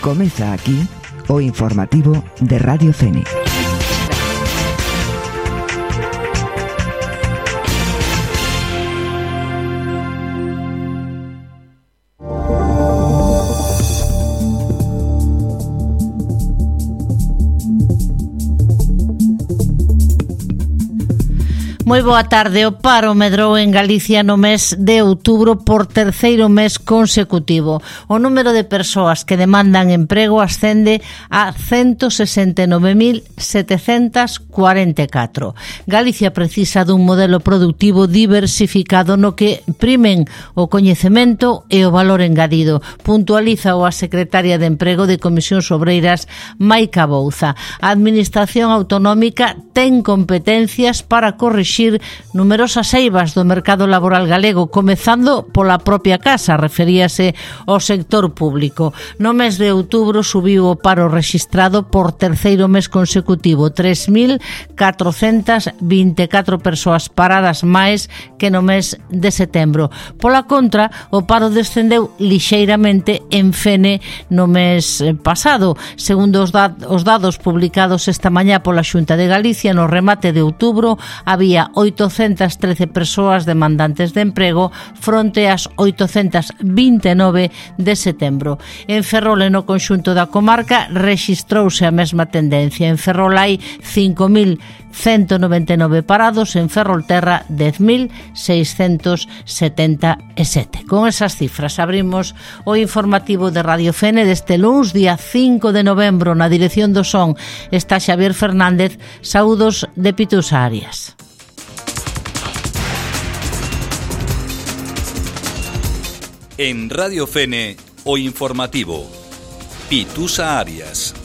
Comeza aquí o informativo de Radio Fene. Moi boa tarde. O paro medrou en Galicia no mes de outubro por terceiro mes consecutivo. O número de persoas que demandan emprego ascende a 169.744. Galicia precisa dun modelo productivo diversificado no que primen o coñecemento e o valor engadido, puntualiza a secretaria de Emprego de Comisións Obreiras, Maica Bouza. A Administración Autonómica ten competencias para corrixir numerosas eivas do mercado laboral galego, comezando pola propia casa, referíase ao sector público. No mes de outubro subiu o paro rexistrado por terceiro mes consecutivo, 3.424 persoas paradas máis que no mes de setembro. Pola contra, o paro descendeu lixeiramente en Fene no mes pasado. Segundo os dados publicados esta mañá pola Xunta de Galicia, no remate de outubro había 813 persoas demandantes de emprego fronte ás 829 de setembro. En Ferrol e no conxunto da comarca rexistrouse a mesma tendencia. En Ferrol hai 5.199 parados, en Ferrolterra 10.677. Con esas cifras abrimos o informativo de Radio Fene deste luns, día 5 de novembro. Na dirección do son está Xavier Fernández. Saúdos de Pitusa Arias. En Radio Fene, o informativo. Pitusa Arias.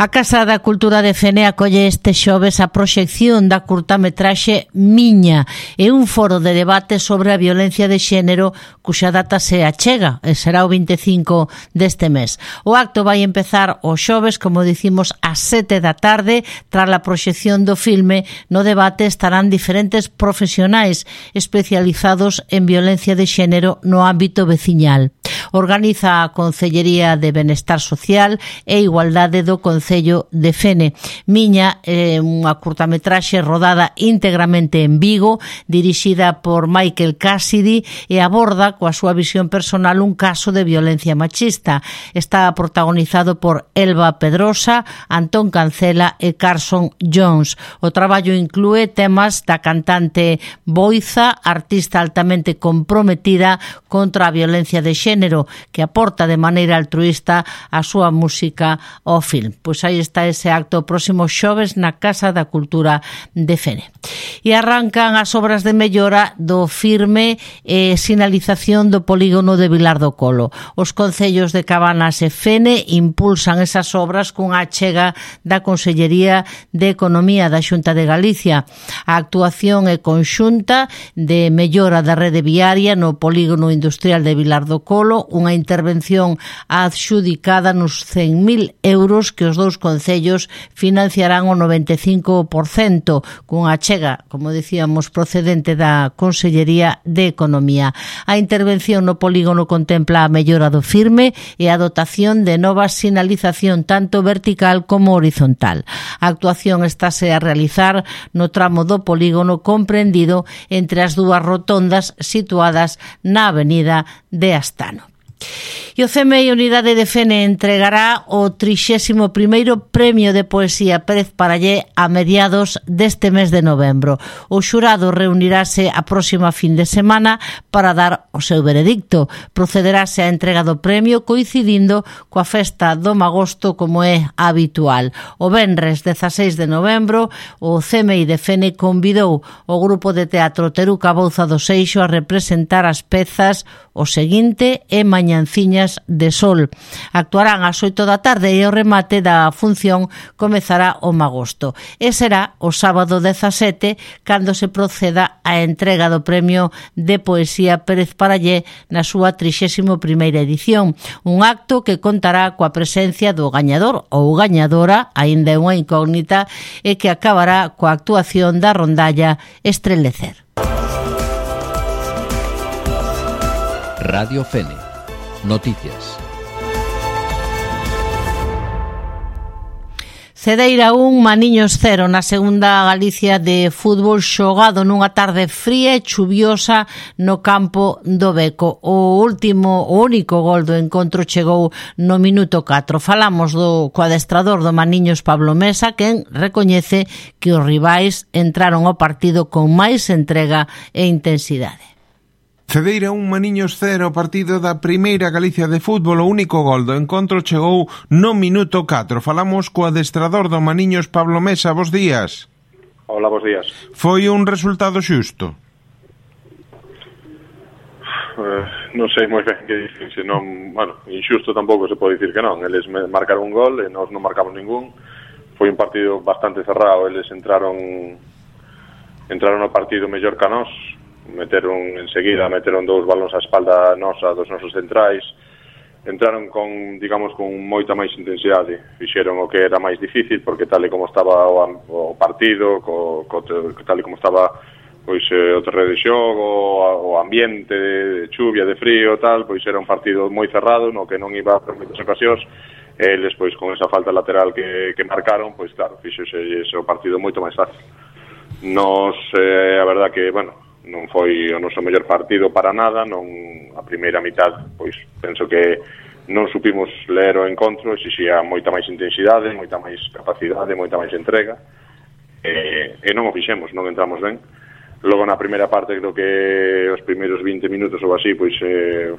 A Casa da Cultura de Fene acolle este xoves a proxección da curtametraxe Miña e un foro de debate sobre a violencia de xénero cuxa data se achega e será o 25 deste mes. O acto vai empezar o xoves, como dicimos, ás 7 da tarde. Tras a proxección do filme, no debate estarán diferentes profesionais especializados en violencia de xénero no ámbito veciñal. Organiza a Concellería de Benestar Social e Igualdade do Concello de Fene. Miña é unha curtametraxe rodada íntegramente en Vigo, dirixida por Michael Cassidy, e aborda coa súa visión personal un caso de violencia machista. Está protagonizado por Elba Pedrosa, Antón Cancela e Carson Jones. O traballo inclúe temas da cantante Boiza, artista altamente comprometida contra a violencia de xénero, que aporta de maneira altruísta a súa música ao film. Pois aí está ese acto próximo xoves na Casa da Cultura de Fene. E arrancan as obras de mellora do firme e sinalización do polígono de Vilar do Colo. Os concellos de Cabanas e Fene impulsan esas obras cunha achega da Consellería de Economía da Xunta de Galicia. A actuación é conxunta de mellora da rede viaria no polígono industrial de Vilar do Colo, unha intervención adxudicada nos 100.000 euros que os dous concellos financiarán o 95%, cunha achega, como decíamos, procedente da Consellería de Economía. A intervención no polígono contempla a mellora do firme e a dotación de nova sinalización tanto vertical como horizontal. A actuación estáse a realizar no tramo do polígono comprendido entre as dúas rotondas situadas na avenida de Astano. E o CMI Unidade de Fene entregará o 31º Premio de Poesía Pérez Parallé a mediados deste mes de novembro. O xurado reunirase a próxima fin de semana para dar o seu veredicto. Procederase a entrega do premio coincidindo coa festa do Magosto, como é habitual. O venres 16 de novembro, o CMI de Fene convidou o grupo de teatro Teruca Bouza do Seixo a representar as pezas O Seguinte e Mañanciñas de Sol. Actuarán ás 8 da tarde e o remate da función comezará o Magosto. E será o sábado 17 cando se proceda a entrega do Premio de Poesía Pérez Parallé na súa 31ª edición. Un acto que contará coa presencia do gañador ou gañadora, aínda é unha incógnita, e que acabará coa actuación da rondalla Estrelecer. Radio Fene. Noticias. Cedeira 1, Maniños 0 na segunda Galicia de fútbol xogado nunha tarde fría e chuviosa no campo do Beco. O único gol do encontro chegou no minuto 4. Falamos co adestrador do Maniños, Pablo Mesa, quen recoñece que os rivais entraron ao partido con máis entrega e intensidade. Cedeira 1, Maniños 0, partido da primeira Galicia de fútbol. O único gol do encontro chegou no minuto 4. Falamos co adestrador do Maniños, Pablo Mesa. Bos días. Hola, bos días. Foi un resultado xusto? Non sei moi ben que dicir, senón, inxusto tampouco se pode dicir que non. Eles marcaron un gol e nós non marcamos ningún. Foi un partido bastante cerrado. Eles entraron ao partido mellor que a nós. Meteron dous balóns á espalda nosa dos nosos centrais, entraron con moita máis intensidade, fixeron o que era máis difícil, porque tal e como estaba o partido, tal e como estaba pois o terreno de xogo, o ambiente de chuvia, de frío, tal, pois era un partido moi cerrado, no que non iba por moitas ocasións, e eles pois con esa falta lateral que marcaron, pois claro, fixose ese partido moito máis fácil. Nos, a verdad que, non foi o noso mellor partido para nada, a primeira mitad, pois penso que non supimos ler o encontro, exixía moita máis intensidade, moita máis capacidade, moita máis entrega, e non o fixemos, non entramos ben. Logo na primeira parte, creo que os primeiros 20 minutos ou así, pois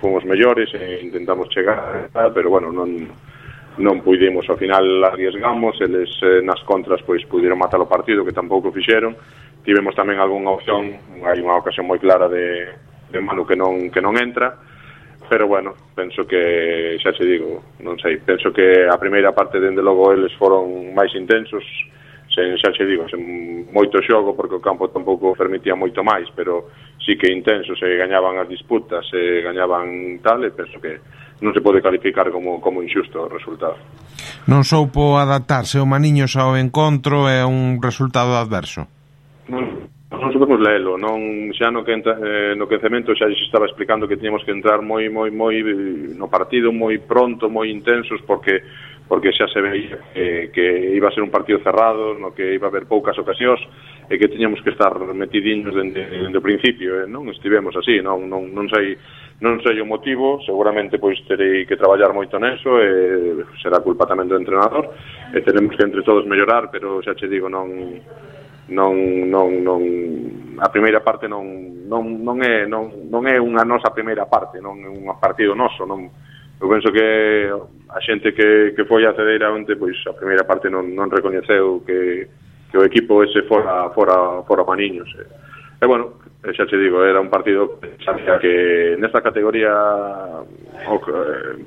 fomos mellores e intentamos chegar, pero non pudimos, ao final arriesgamos, eles nas contras pois puderon matar o partido, que tampouco fixeron. Tivemos tamén algunha opción, hai unha ocasión moi clara de Manu que non entra, pero penso que, xa se digo, non sei, penso que a primeira parte, dende logo, eles foron máis intensos, sen moito xogo, porque o campo tampouco permitía moito máis, pero sí que intensos, se gañaban as disputas, se gañaban tal, e penso que non se pode calificar como inxusto o resultado. Non soupo adaptarse o Maniños ao encontro, é un resultado adverso? Non supemos lelo, xa no quencemento xa se estaba explicando que tiñamos que entrar moi no partido, moi pronto, moi intensos, porque xa se veía que iba a ser un partido cerrado, no que iba a haber poucas ocasións e que tiñamos que estar metidiños dende o principio, non estivemos así, non sei o motivo, seguramente pois terei que traballar moito neso e será culpa tamén do entrenador e tenemos que entre todos mellorar, pero xa che digo, a primeira parte non é unha nosa primeira parte, non é un partido noso, eu penso que a xente que foi a Cedeira onte, pois a primeira parte non recoñeceu que o equipo ese fora Maniños, e xa te digo, era un partido que sabía que nesta categoría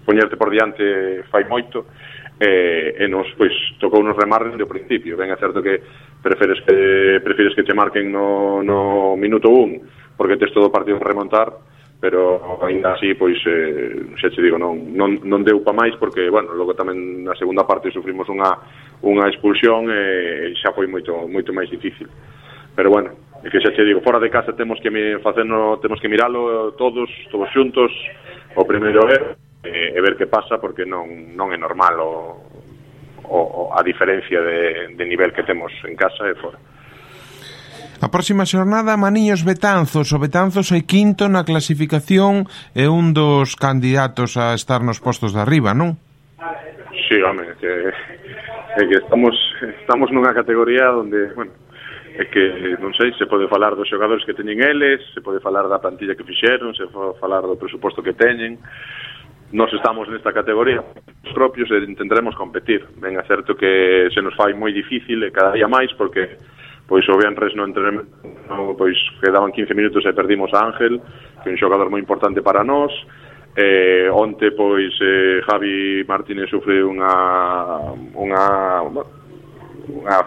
poñerte por diante fai moito, e nos pois tocou nos remar dende o principio. Ben, é certo que prefires que te marquen no minuto 1 porque tes todo o partido para remontar, pero ainda así pois xa te digo, non deu pa máis, porque logo tamén na segunda parte sufrimos unha expulsión e xa foi moito máis difícil. Pero é que xa te digo, fora de casa temos que miralo todos xuntos o primeiro e ver que pasa, porque non é normal a diferencia de nivel que temos en casa e fora. A próxima xornada, Maniños Betanzos. O Betanzos é quinto na clasificación e un dos candidatos a estar nos postos de arriba, non? Sí, home, que estamos nunha categoría onde, é que, non sei, se pode falar dos xogadores que teñen eles, se pode falar da plantilla que fixeron, se pode falar do presuposto que teñen. Nos estamos nesta categoría os propios e intentaremos competir. Ben, é certo que se nos fai moi difícil e cada día máis, porque pois o venres no entrenamento pois quedaban 15 minutos e perdimos a Ángel, que é un xogador moi importante para nós. Onte pois Javi Martínez sufre unha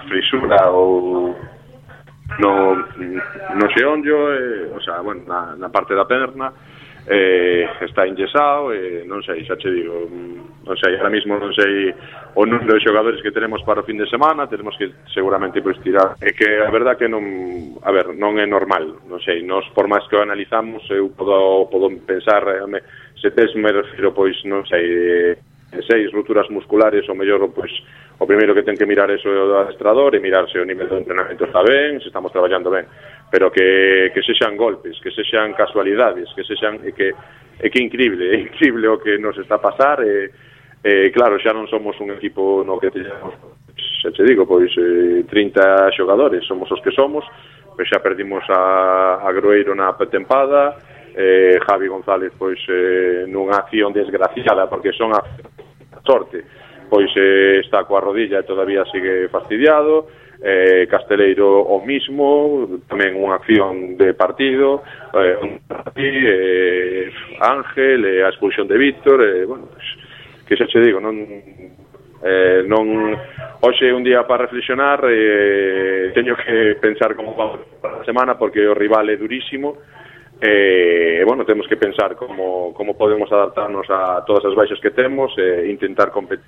frisura ou no xeonllo, na parte da perna, está enyesado, non sei, xa che digo, non sei, ahora mismo non sei o número de xogadores que tenemos para o fin de semana, tenemos que seguramente pois tirar, é que a verdad que non é normal, non sei, nós por máis que o analizamos, eu podo pensar, se tes me refiro, pois, non sei, 6 rupturas musculares, o mellor, pois, o primeiro que ten que mirar é o adestrador e mirar se o nivel de entrenamento está ben, se estamos traballando ben, pero que sexan golpes, que sexan casualidades, que sexan, que é increíble o que nos está a pasar, claro, xa non somos un equipo no que teñamos, xa te digo, pois 30 xogadores, somos os que somos, pois xa perdimos a Groeiro na tempada, Javi González pois nunha acción desgraciada, porque son a sorte, pois está coa rodilla e todavía sigue fastidiado, Casteleiro o mismo, tamén unha acción de partido, Ángel, a expulsión de Víctor, bueno, pues, que xa che digo, non hoxe é un día para reflexionar, teño que pensar como vamos para a semana, porque o rival é durísimo, bueno, temos que pensar como podemos adaptarnos a todas as baixas que temos, intentar competir,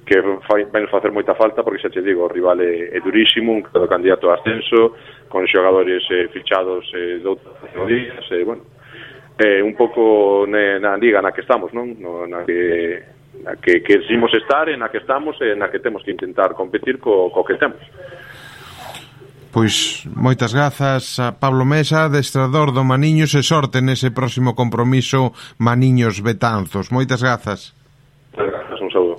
que vai nos facer moita falta, porque xa te digo, o rival é durísimo, un claro candidato a ascenso, con xogadores fichados de outras categorías, bueno, un pouco na liga na que estamos, non? Na que querimos estar, na que estamos, na que temos que intentar competir co que temos. Pois moitas grazas a Pablo Mesa, adestrador do Maniños, e sorte nese próximo compromiso Maniños Betanzos. Moitas grazas. Moitas grazas, un saúdo.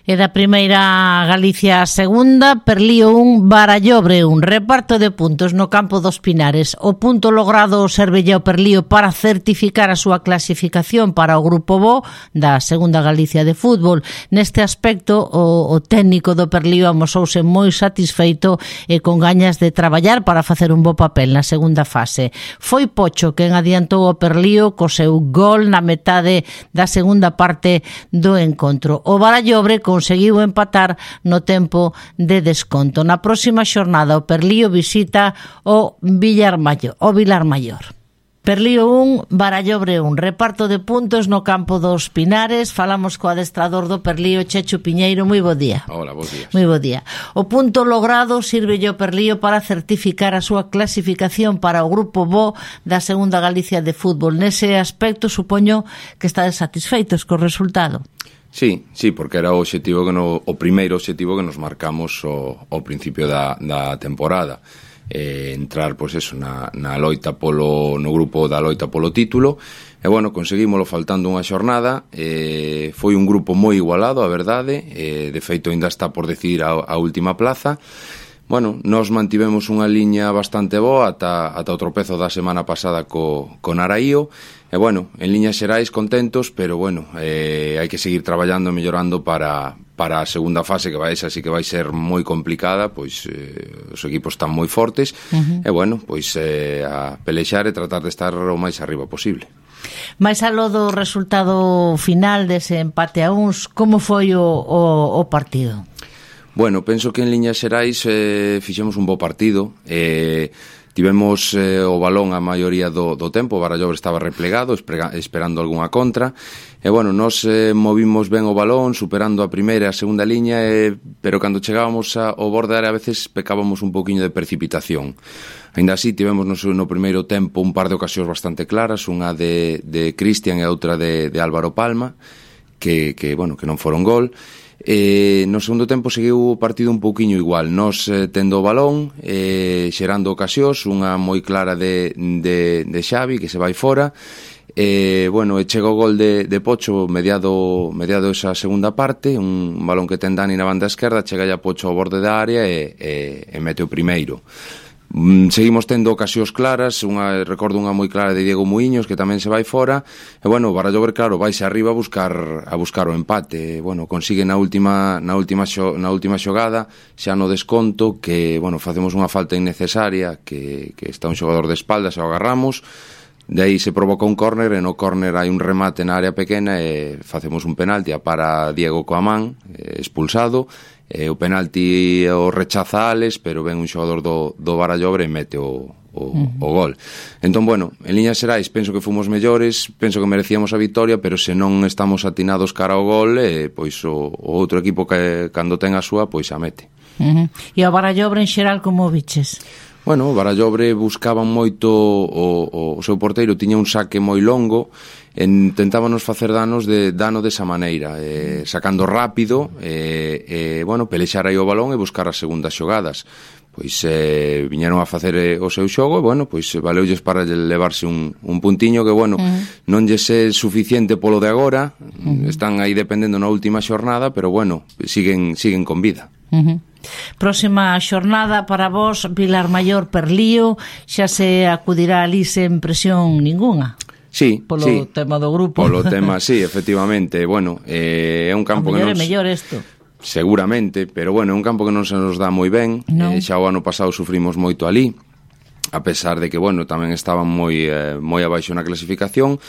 E da primeira Galicia a segunda, Perlío 1, Barallobre 1, reparto de puntos no campo dos Pinares. O punto logrado servelle ao Perlío para certificar a súa clasificación para o Grupo Bo da segunda Galicia de fútbol. Neste aspecto, o técnico do Perlío amosouse moi satisfeito e con gañas de traballar para facer un bo papel na segunda fase. Foi Pocho quen adiantou o Perlío co seu gol na metade da segunda parte do encontro. O Barallobre conseguiu empatar no tempo de desconto. Na próxima xornada o Perlío visita o Vilar Maior. Perlío 1, Barallobre 1, reparto de puntos no campo dos Pinares. Falamos co adestrador do Perlío, Chechu Piñeiro. Moi bo día. Hola, bos días. Moi bo día. O punto logrado sirvelle ao Perlío para certificar a súa clasificación para o Grupo Bo da segunda Galicia de fútbol. Nese aspecto, supoño que estades satisfeitos co resultado. Sí, porque era o primeiro obxectivo que nos marcamos ao principio da temporada, entrar pois eso na loita no grupo da loita polo título, e bueno, conseguímolo faltando unha xornada. Foi un grupo moi igualado, a verdade, de feito ainda está por decidir a última plaza. Bueno, nos mantivemos unha liña bastante boa ata o tropezo da semana pasada co Naraío. E bueno, en liñas xerais contentos, pero bueno, hai que seguir traballando e mellorando para a segunda fase, que vai ser moi complicada, pois os equipos están moi fortes, e bueno, pois a pelexar e tratar de estar o máis arriba posible. Mais aló do resultado final dese empate a uns, como foi o partido? Bueno, penso que en liñas xerais fixemos un bo partido. Tivemos o balón a maioría do tempo, o Barallobre estaba replegado, esperando algunha contra, e bueno, nos movimos ben o balón, superando a primeira e a segunda liña, pero cando chegábamos ao borde da área a veces pecábamos un poquinho de precipitación. Ainda así, tivemos no primeiro tempo un par de ocasións bastante claras, unha de Cristian e outra de Álvaro Palma, que non foron gol. No segundo tempo seguiu o partido un pouquiño igual, nos tendo o balón, xerando ocasións, unha moi clara de Xavi que se vai fora, chega o gol de Pocho mediado esa segunda parte, un balón que ten Dani na banda esquerda, chega ya Pocho ao borde da área e mete o primeiro. Seguimos tendo ocasións claras, recordo unha moi clara de Diego Muiños que tamén se vai fora, e bueno, o Barallobre claro vaise arriba a buscar o empate. Bueno, consigue na última xogada, xa no desconto, que bueno, facemos unha falta innecesaria, que está un xogador de espaldas e o agarramos. De aí se provoca un córner, e no córner hai un remate na área pequena e facemos un penalti, a para Diego Coamán, expulsado. O penalti o rechaza Alex, pero ven un xogador do Barallobre e mete o gol. Entón, bueno, en liñas xerais penso que fomos mellores, penso que merecíamos a victoria, pero se non estamos atinados cara ao gol, pois o outro equipo que cando ten a súa, pois a mete. E o Barallobre en xeral como viches? Bueno, o Barallobre buscaban moito o seu porteiro, tiña un saque moi longo, tentábanos facer dano desa maneira, sacando rápido, bueno, pelexar aí o balón e buscar as segundas xogadas. Pois viñeron a facer o seu xogo e, bueno, pois valeulles para levarse un puntiño que, bueno, non lles é suficiente polo de agora, están aí dependendo na última xornada, pero, bueno, siguen con vida. Próxima xornada para vos, Vilar Maior Perlío, xa se acudirá ali sen presión ninguna. Sí, polo tema do grupo. Polo tema, sí, efectivamente. Bueno, é un campo que non... É mellor isto. Seguramente, pero bueno, é un campo que non se nos dá moi ben. Xa o ano pasado sufrimos moito ali, a pesar de que, bueno, tamén estaban moi abaixo na clasificación.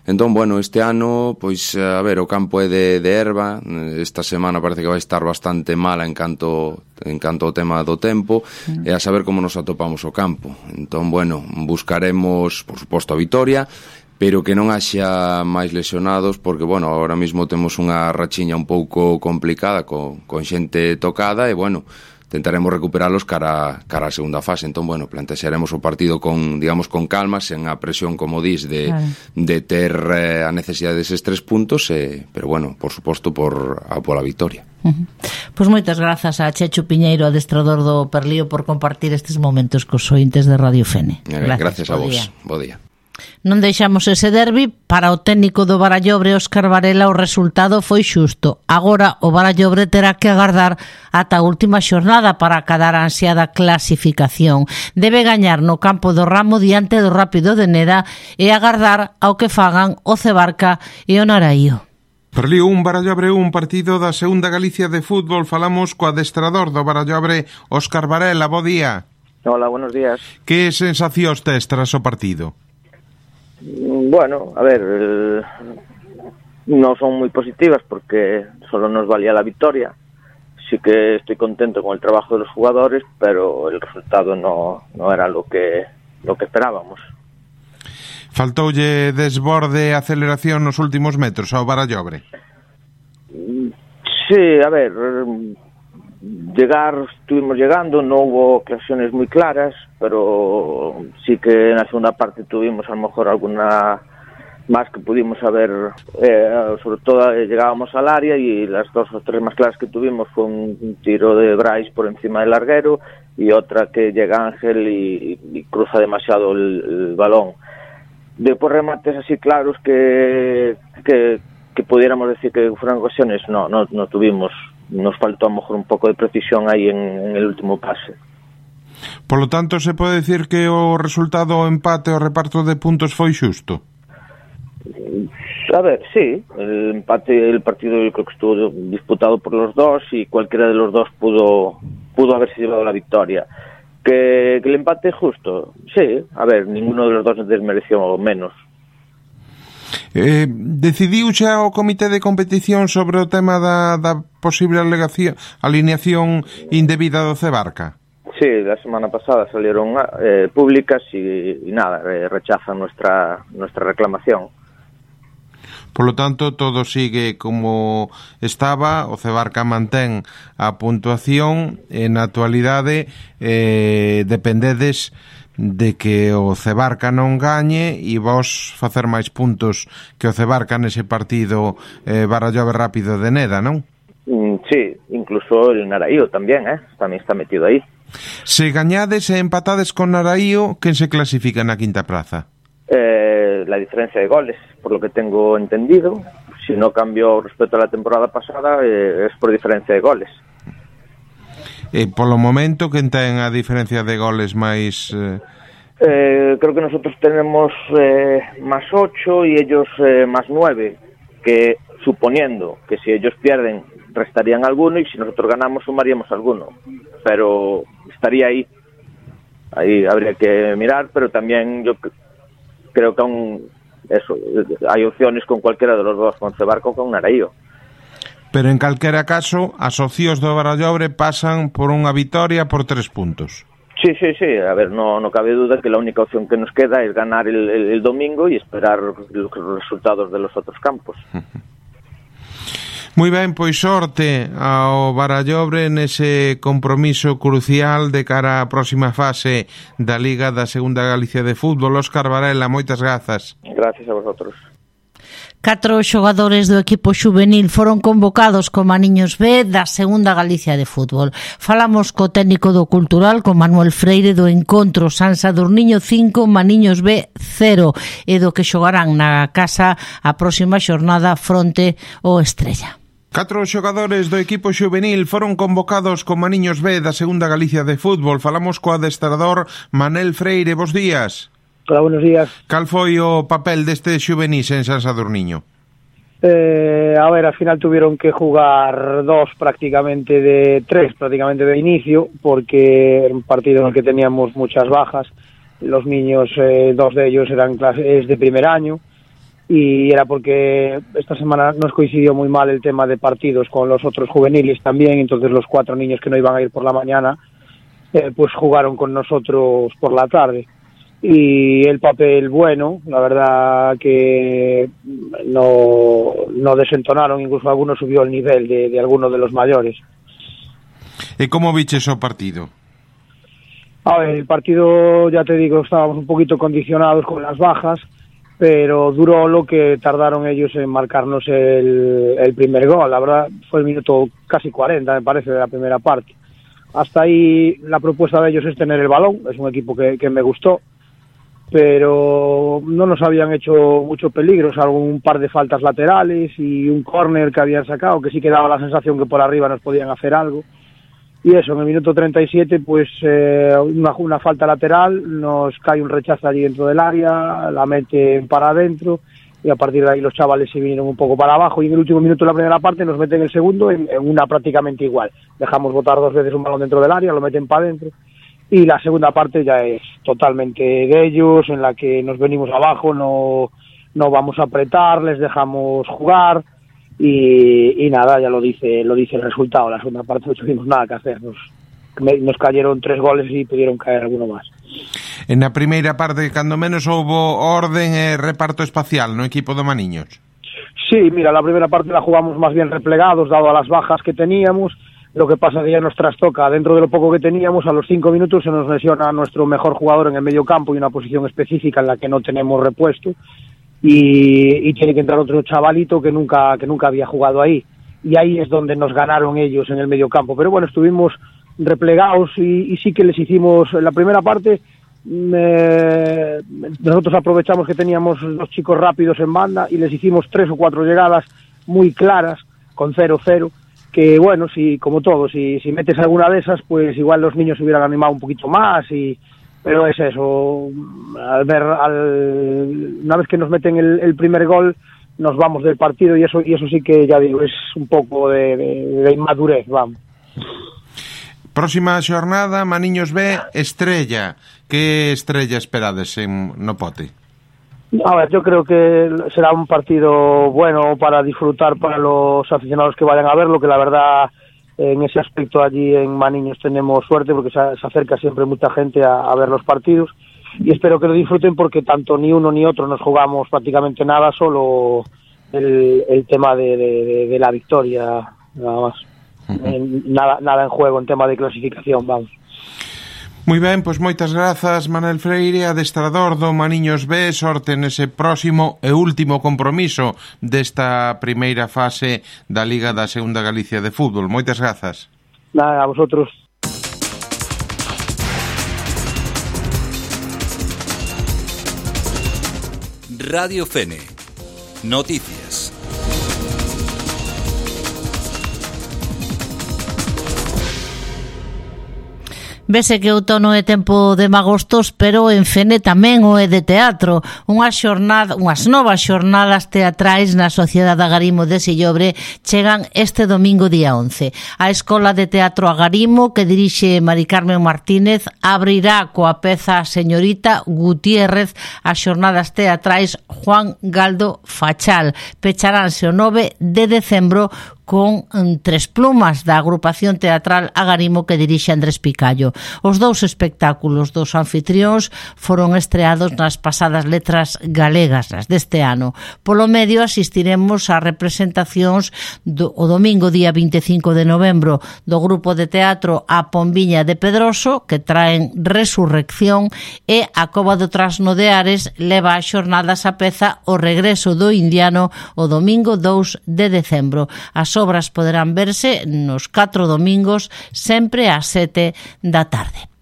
Entón, bueno, este ano, pois, a ver, o campo é de herba. Esta semana parece que vai estar bastante mala en canto ao tema do tempo, e a saber como nos atopamos o campo. Entón, bueno, buscaremos, por suposto, a vitoria, pero que non haxa máis lesionados, porque, bueno, ahora mismo temos unha rachiña un pouco complicada con xente tocada, e, bueno, tentaremos recuperalos cara a segunda fase. Entón, bueno, plantexaremos o partido con calma, sen a presión, como dis, de ter a necesidade deses 3 puntos, pero, bueno, por suposto, pola victoria. Pois moitas grazas a Chechu Piñeiro, adestrador do Perlío, por compartir estes momentos cos ointes de Radio Fene. Gracias a vos. Bo día. Non deixamos ese derbi. Para o técnico do Barallobre, Óscar Varela, o resultado foi xusto. Agora o Barallobre terá que agardar ata a última xornada para acadar a ansiada clasificación. Debe gañar no campo do Ramo diante do Rápido de Neda e agardar ao que fagan o Cebarca e o Naraío. Perlío 1, Barallobre 1, partido da segunda Galicia de fútbol. Falamos co adestrador do Barallobre, Óscar Varela. Bo día. Hola, buenos días. Que sensacións tes tras o partido? Bueno, a ver, no son muy positivas porque solo nos valía la victoria. Sí que estoy contento con el trabajo de los jugadores, pero el resultado no era lo que esperábamos. Faltoulle desborde e aceleración nos últimos metros ao Barallobre? Sí, a ver, estuvimos llegando, no hubo ocasiones muy claras, pero sí que en la segunda parte tuvimos a lo mejor alguna más que pudimos haber, sobre todo llegábamos al área y las 2 o 3 más claras que tuvimos fue un tiro de Brais por encima del larguero y otra que llega Ángel y cruza demasiado el balón. Después remates así claros que pudiéramos decir que fueran ocasiones, no tuvimos. Nos faltó a lo mejor un pouco de precisión aí en el último pase. Por lo tanto, se pode decir que o resultado, o empate, o reparto de puntos foi xusto? A ver, sí, el partido yo creo que estuvo disputado por los dos y cualquiera de los dos pudo haberse llevado la victoria. Que el empate es justo, sí, a ver, ninguno de los dos desmereció menos. Decidiu xa o comité de competición sobre o tema da posible alineación indebida do Cebarca? Sí, la semana pasada salieron públicas y nada, rechazan nuestra reclamación. Por lo tanto, todo sigue como estaba, o Cebarca mantén a puntuación, e na actualidade dependedes de que o Cebarca non gañe e vos facer máis puntos que o Cebarca nese partido Barallobre Rápido de Neda, non? Sí, incluso el Naraío tamén está metido aí. Se gañades e empatades con Naraío, quen se clasifica na quinta praza? La diferencia de goles, por lo que tengo entendido. Si no cambió respecto a la temporada pasada, es por diferencia de goles. Polo momento, quen ten a diferencia de goles máis... Creo que nosotros tenemos más 8 y ellos más 9, que suponiendo que si ellos pierden restarían alguno y si nosotros ganamos sumaríamos alguno, pero estaría ahí habría que mirar, pero también yo creo que hay opciones con cualquiera de los dos, con Cebarca o con Naraío. Pero en calquera caso, as opcións do Barallobre pasan por unha vitoria por 3 puntos. Sí, a ver, no cabe duda que la única opción que nos queda es ganar el domingo y esperar los resultados de los otros campos. Moi ben, pois sorte ao Barallobre nese compromiso crucial de cara á próxima fase da Liga da Segunda Galicia de Fútbol. Óscar Varela, moitas grazas. Gracias a vosotros. 4 xogadores do equipo xuvenil foron convocados como niños B da Segunda Galicia de Fútbol. Falamos co técnico do Cultural, con Manuel Freire, do encontro San Sadurniño 5, Maniños B 0, e do que xogarán na casa a próxima xornada fronte ao Estrella. 4 xogadores do equipo xuvenil foron convocados como niños B da Segunda Galicia de Fútbol. Falamos co adestrador Manel Freire. Bos días. Hola, buenos días. Cal foi o papel deste xuvenís en San Sadurniño? A ver, al final tuvieron que jugar 3 prácticamente de inicio, porque era un partido en el que teníamos muchas bajas. Los niños, 2 de ellos eran clases de primer año, y era porque esta semana nos coincidió muy mal el tema de partidos con los otros juveniles también, entonces los 4 niños que no iban a ir por la mañana, pues jugaron con nosotros por la tarde. Y el papel bueno, la verdad que no desentonaron, incluso algunos subió el nivel de algunos de los mayores. ¿Y cómo viches o partido? A ver, el partido, ya te digo, estábamos un poquito condicionados con las bajas, pero duró lo que tardaron ellos en marcarnos el primer gol. La verdad fue el minuto casi 40, me parece, de la primera parte. Hasta ahí la propuesta de ellos es tener el balón, es un equipo que me gustó, pero no nos habían hecho mucho peligro, salvo un par de faltas laterales y un córner que habían sacado, que sí que daba la sensación que por arriba nos podían hacer algo. Y eso, en el minuto 37, pues una falta lateral, nos cae un rechazo allí dentro del área, la meten para adentro, y a partir de ahí los chavales se vinieron un poco para abajo, y en el último minuto de la primera parte nos meten el segundo en una prácticamente igual. Dejamos botar 2 veces un balón dentro del área, lo meten para adentro. Y la segunda parte ya es totalmente de ellos, en la que nos venimos abajo, no vamos a apretar, les dejamos jugar y nada, ya lo dice el resultado. La segunda parte no tuvimos nada que hacer, nos cayeron 3 goles y pudieron caer alguno más. En la primeira parte, cando menos, houbo orden e reparto espacial no equipo de Maniños. Sí, mira, la primera parte la jugamos más bien replegados, dado a las bajas que teníamos. Lo que pasa que ya nos trastoca, dentro de lo poco que teníamos, a los 5 minutos se nos lesiona a nuestro mejor jugador en el medio campo y una posición específica en la que no tenemos repuesto, y tiene que entrar otro chavalito que nunca había jugado ahí, y ahí es donde nos ganaron ellos en el medio campo. Pero bueno, estuvimos replegados y sí que les hicimos, en la primera parte nosotros aprovechamos que teníamos 2 chicos rápidos en banda y les hicimos 3 o 4 llegadas muy claras con 0-0, que bueno, si como todo, si metes alguna de esas, pues igual los niños se hubieran animado un poquito más, pero es eso, una vez que nos meten el primer gol, nos vamos del partido, y eso sí que, ya digo, es un poco de inmadurez, vamos. Próxima xornada, Maniños B, Estrella. Que Estrella esperades no Pote? A ver, yo creo que será un partido bueno para disfrutar para los aficionados que vayan a verlo, que la verdad en ese aspecto allí en Maniños tenemos suerte, porque se acerca siempre mucha gente a ver los partidos, y espero que lo disfruten, porque tanto ni uno ni otro nos jugamos prácticamente nada, solo el tema de la victoria, nada más. Nada en juego en tema de clasificación, vamos. Moi ben, pois moitas grazas, Manuel Freire, adestrador do Maniños B. Sorte nese próximo e último compromiso desta primeira fase da Liga da Segunda Galicia de Fútbol. Moitas grazas. Nada, a vosotros. Radio Fene. Noticias. Vese que outono é tempo de magostos, pero en Fene tamén o é de teatro. Unhas novas xornadas teatrais na Sociedade Agarimo de Sillobre chegan este domingo día 11. A Escola de Teatro Agarimo, que dirixe Mari Carmen Martínez, abrirá coa peza Señorita Gutiérrez as xornadas teatrais Juan Galdo Fachal. Pecharánse o 9 de decembro con Tres Plumas, da agrupación teatral Agarimo que dirixe Andrés Picallo. Os dous espectáculos dos anfitrións foron estreados nas pasadas letras galegas, as deste ano. Polo medio asistiremos a representacións o domingo día 25 de novembro do grupo de teatro A Pombiña de Pedroso, que traen Resurrección, e a Cova do Trasno de Ares leva a xornadas a peza O Regreso do Indiano o domingo 2 de decembro. As obras poderán verse nos 4 domingos, sempre ás 7 da tarde.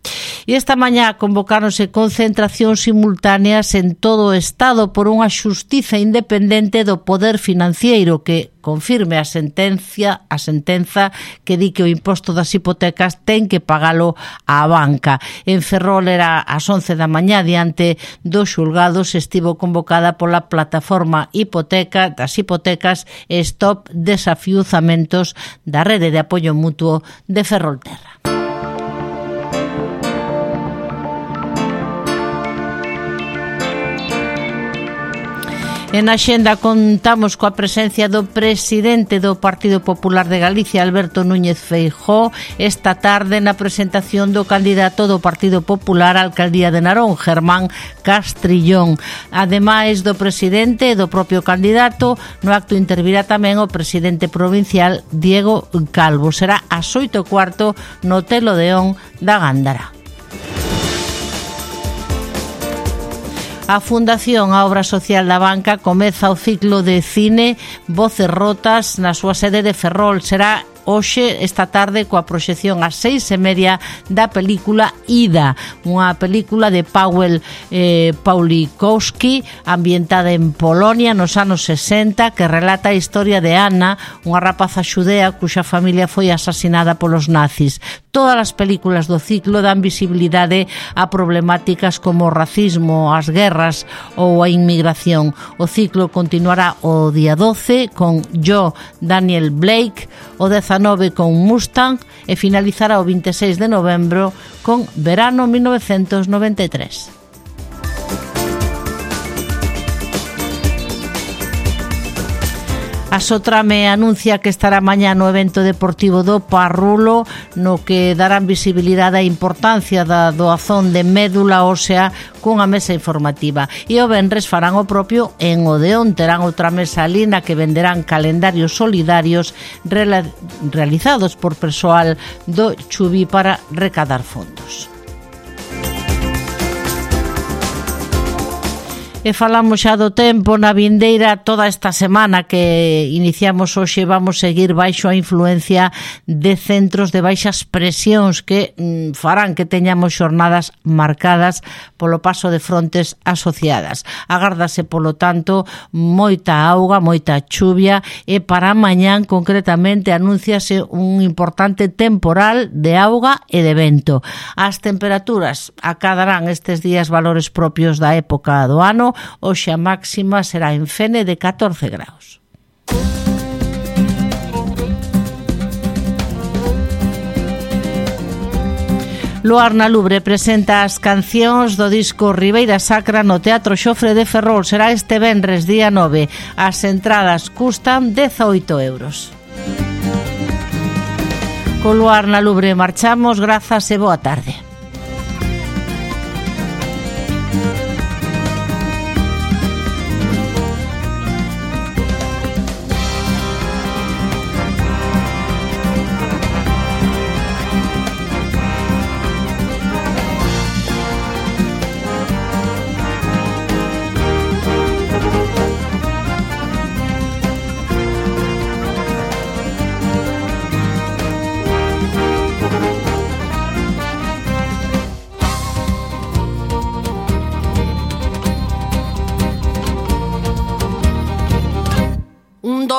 E esta mañá convocáronse concentracións simultáneas en todo o Estado por unha xustiza independente do poder financiero que confirme a sentenza que di que o imposto das hipotecas ten que pagalo á banca. En Ferrol era ás 11 da mañá diante dos xulgados, estivo convocada pola plataforma das hipotecas Stop Desafiuzamentos da Rede de Apoio Mutuo de Ferrolterra. En Axenda contamos coa presencia do presidente do Partido Popular de Galicia, Alberto Núñez Feijóo, esta tarde na presentación do candidato do Partido Popular á alcaldía de Narón, Germán Castrillón. Ademais do presidente e do propio candidato, no acto intervirá tamén o presidente provincial, Diego Calvo. Será ás 8:15 no Hotel Odeón da Gándara. A Fundación A Obra Social da Banca comeza o ciclo de cine Voces Rotas na súa sede de Ferrol. Será hoxe, esta tarde, coa proxección ás 6:30 da película Ida, unha película de Paweł Pawlikowski ambientada en Polonia nos anos 60, que relata a historia de Anna, unha rapaza xudea cuxa familia foi asasinada polos nazis. Todas as películas do ciclo dan visibilidade a problemáticas como o racismo, as guerras ou a inmigración. O ciclo continuará o día 12 con Yo, Daniel Blake, o 19 con Mustang e finalizará o 26 de novembro con Verano 1993. A Sotrame anuncia que estará mañá no evento deportivo do Parrulo, no que darán visibilidade á importancia da doazón de médula ósea cunha mesa informativa. E o venres farán o propio en Odeón, terán outra mesa ali na que venderán calendarios solidarios realizados por persoal do Chubi para recadar fondos. E falamos xa do tempo na vindeira. Toda esta semana que iniciamos hoxe vamos seguir baixo a influencia de centros de baixas presións que farán que teñamos xornadas marcadas polo paso de frontes asociadas. Agárdase, polo tanto, moita auga, moita chuvia, e para mañán concretamente anúnciase un importante temporal de auga e de vento. As temperaturas acadarán estes días valores propios da época do ano. Hoxe a máxima será en Fene de 14 graus. Luar na Lubre presenta as cancións do disco Ribeira Sacra no Teatro Xofre de Ferrol. Será este venres día 9. As entradas custan 18 euros. Co Luar na Lubre marchamos. Grazas e boa tarde.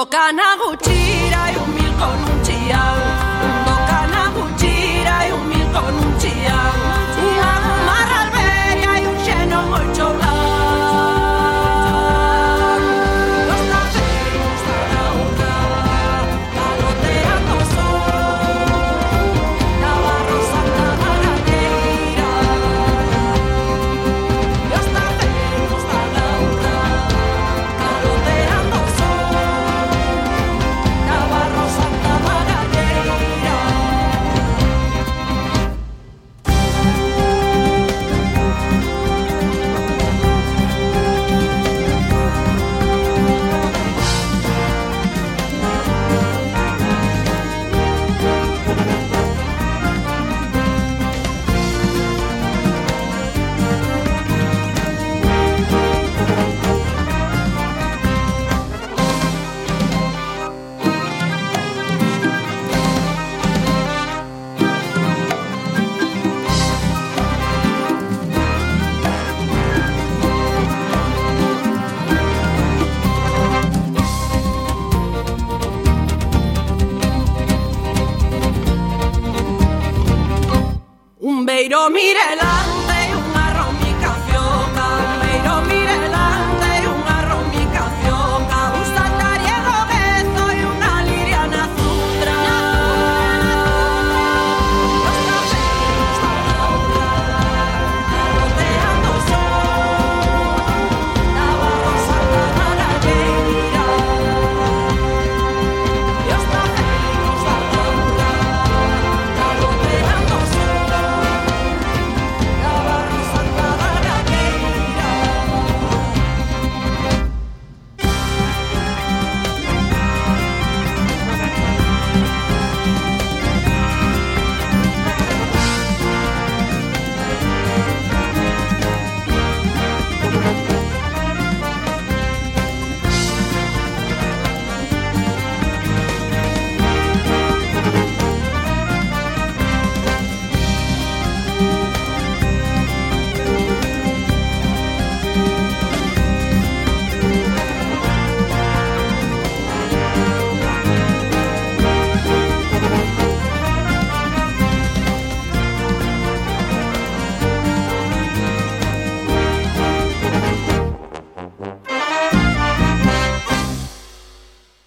Kana gutxira un mil con un chiao. Kana gutxira un mil con un chiao. Unha marra alberia e un xeno moi choulán. Los naceos da laura, caloteando o sol. Navarro Santa Marañeira. Los naceos da laura, caloteando o sol. Navarro Santa Miro, mírela.